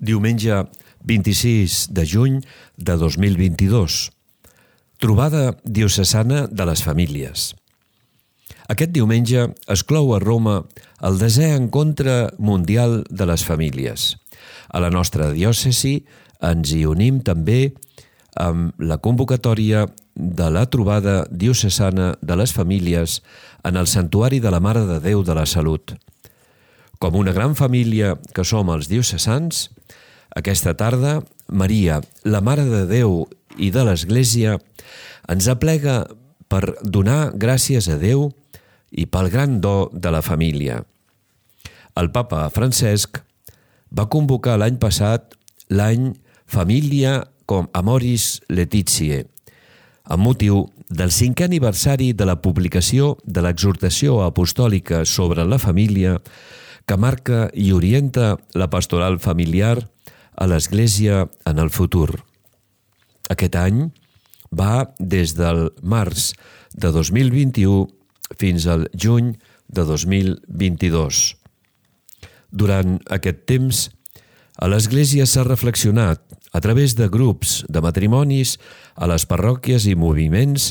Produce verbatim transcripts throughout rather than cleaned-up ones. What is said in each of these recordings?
Diumenge vint-i-sis de juny de dos mil vint-i-dos. Trobada diocesana de les famílies. Aquest diumenge es clou a Roma el desè encontre mundial de les famílies. A la nostra diòcesi ens hi unim també amb la convocatòria de la trobada diocesana de les famílies en el Santuari de la Mare de Déu de la Salut. Com una gran família que som els diocesans, aquesta tarda Maria, la Mare de Déu i de l'Església, ens aplega per donar gràcies a Déu i pel gran do de la família. El papa Francesc va convocar l'any passat l'any Família com Amoris Laetitia, amb motiu del cinquè aniversari de la publicació de l'exhortació apostòlica sobre la família que marca i orienta la pastoral familiar a l'Església en el futur. Aquest any va des del març de dos mil vint-i-u fins al juny de dos mil vint-i-dos. Durant aquest temps, a l'Església s'ha reflexionat a través de grups de matrimonis a les parròquies i moviments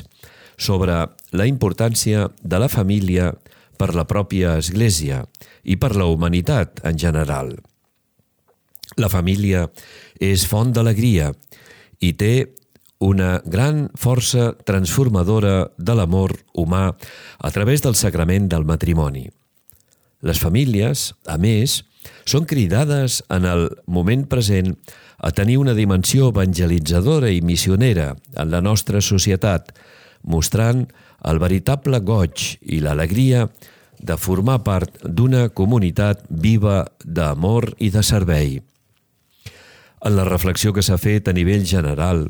sobre la importància de la família per la pròpia Església i per la humanitat en general. La família és font d'alegria i té una gran força transformadora de l'amor humà a través del sagrament del matrimoni. Les famílies, a més, són cridades en el moment present a tenir una dimensió evangelitzadora i missionera en la nostra societat, mostrant el veritable goig i l'alegria de formar part d'una comunitat viva d'amor i de servei. En la reflexió que s'ha fet a nivell general,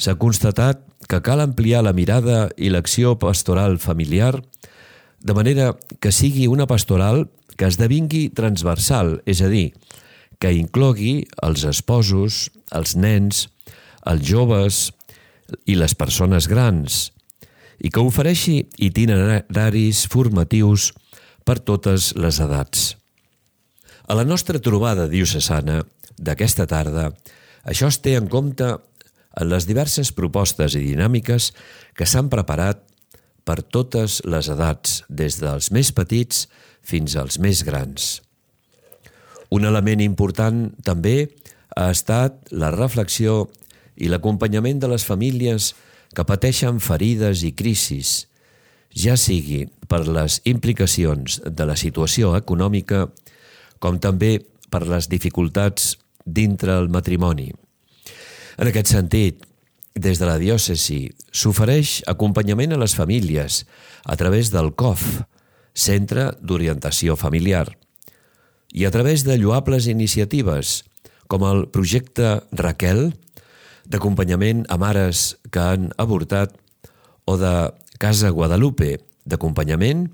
s'ha constatat que cal ampliar la mirada i l'acció pastoral familiar de manera que sigui una pastoral que esdevingui transversal, és a dir, que inclogui els esposos, els nens, els joves i les persones grans i que ofereixi itineraris formatius per totes les edats. A la nostra trobada diocesana d'aquesta tarda, això es té en compte en les diverses propostes i dinàmiques que s'han preparat per totes les edats, des dels més petits fins als més grans. Un element important també ha estat la reflexió i l'acompanyament de les famílies que pateixen ferides i crisis, ja sigui per les implicacions de la situació econòmica com també per les dificultats dintre el matrimoni. En aquest sentit, des de la diòcesi s'ofereix acompanyament a les famílies a través del C O F, Centre d'Orientació Familiar, i a través de lloables iniciatives com el projecte Raquel, d'acompanyament a mares que han avortat, o de Casa Guadalupe, d'acompanyament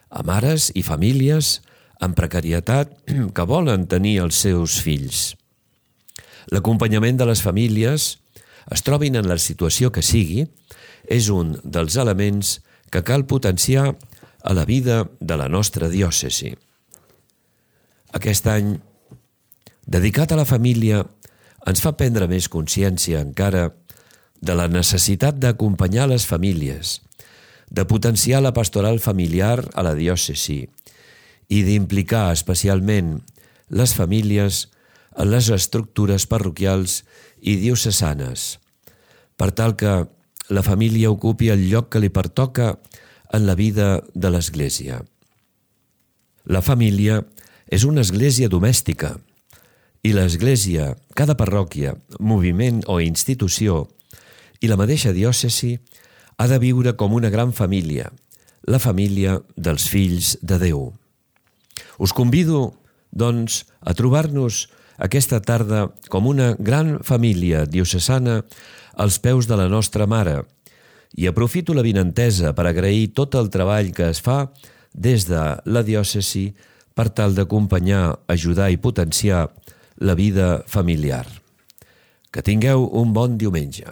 a mares i famílies en precarietat que volen tenir els seus fills. L'acompanyament de les famílies, es trobin en la situació que sigui, és un dels elements que cal potenciar a la vida de la nostra diòcesi. Aquest any, dedicat a la família, ens fa prendre més consciència encara de la necessitat d'acompanyar les famílies, de potenciar la pastoral familiar a la diòcesi i d'implicar especialment les famílies en les estructures parroquials i diocesanes, per tal que la família ocupi el lloc que li pertoca en la vida de l'Església. La família és una església domèstica i l'Església, cada parròquia, moviment o institució i la mateixa diòcesi ha de viure com una gran família, la família dels fills de Déu. Us convido, doncs, a trobar-nos aquesta tarda com una gran família diocesana als peus de la nostra Mare i aprofito la vinentesa per agrair tot el treball que es fa des de la diòcesi per tal d'acompanyar, ajudar i potenciar la vida familiar. Que tingueu un bon diumenge.